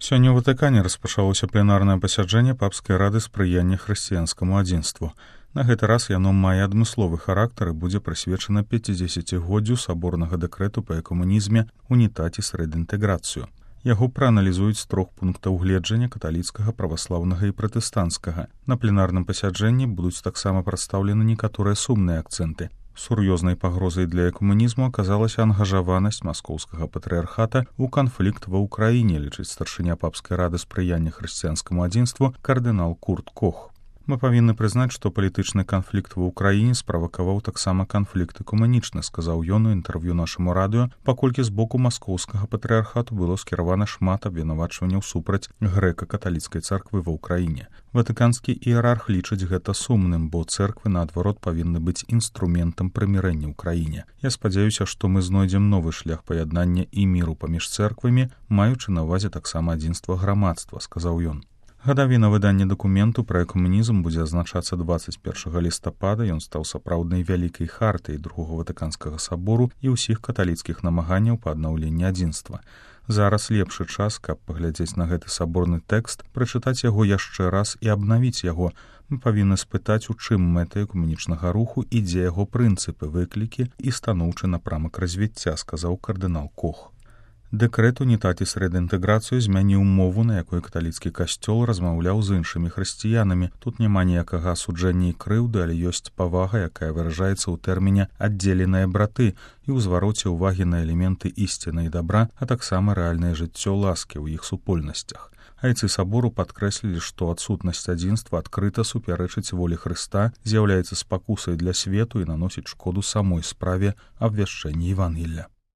Сёння ў Ватыкане распачалося пленарнае пасяджэнне папскай рады спрыяння хрысціянскаму адзінству. На гэты раз яно мае адмысловы характар і будзе прысвечана 50-годдзю саборнага дэкрэту па экуманізме «Унітаціс рэдінтэграцыю». Яго прааналізуюць з 3 пунктаў гледжання каталіцкага, праваслаўнага і пратэстанцкага. На пленарным пасяджэнні будуць таксама прадстаўлены некаторыя сумныя акцэнты. Сур'ёзнай пагрозай для экуманізму аказалася ангажаванасць маскоўскага патрыархата ў канфлікт ва ўкраіне, лічыць старшыня папскай рады спрыяння хрысціянскаму адзінству кардынал Курт Кох. Мы павінны прызнаць, што палітычны канфлікт ва ўкраіне справакаваў таксама канфлікт экуманічны, сказаў ён у інтэрв'ю нашаму радыё, паколькі з боку маскоўскага патрыархату было скіравана шмат абвінавачванняў супраць грэка-каталіцкай царквы ва ўкраіне. Ватыканскі іерарх лічыць гэта сумным, бо цэрквы, наадварот, павінны быць інструментам прымірэння ў краіне. Я спадзяюся, што мы знойдзем новы шлях паяднання і міру паміж цэрквамі, маючы на ўвазе таксама адзінства грамадства, сказаў ён. Гадавіна выдання дакументу пра экуманізм будзе адзначацца 21 лістапада. Ён стаў сапраўднай вялікай хартай Другога Ватыканскага сабору і ўсіх каталіцкіх намаганняў па аднаўленні адзінства. Зараз лепшы час, каб паглядзець на гэты саборны тэкст, прачытаць яго яшчэ раз і абнавіць яго. Мы павінны спытаць, у чым мэта экуманічнага руху і дзе яго прынцыпы, выклікі і станоўчы напрамак развіцця, сказаў кардынал Кох. Дэкрэт «Унітаціс рэдінтэграцыю» змяніў мову, на якой каталіцкі касцёл размаўляў з іншымі хрысціянамі. Тут няма ніякага асуджэння і крыўды, але ёсць павага, якая выражаецца ў тэрміне «аддзеленыя браты» і ў звароце ўвагі на элементы ісціны і дабра, а таксама рэальнае жыццё ласкі ў іх супольнасцях. Айцы сабору падкрэслілі, што адсутнасць адзінства адкрыта супярэчыць волі Хрыста, з'яўляецца спакусай для свету і наносіць шкоду самой справе абвяшчэння Евангелля.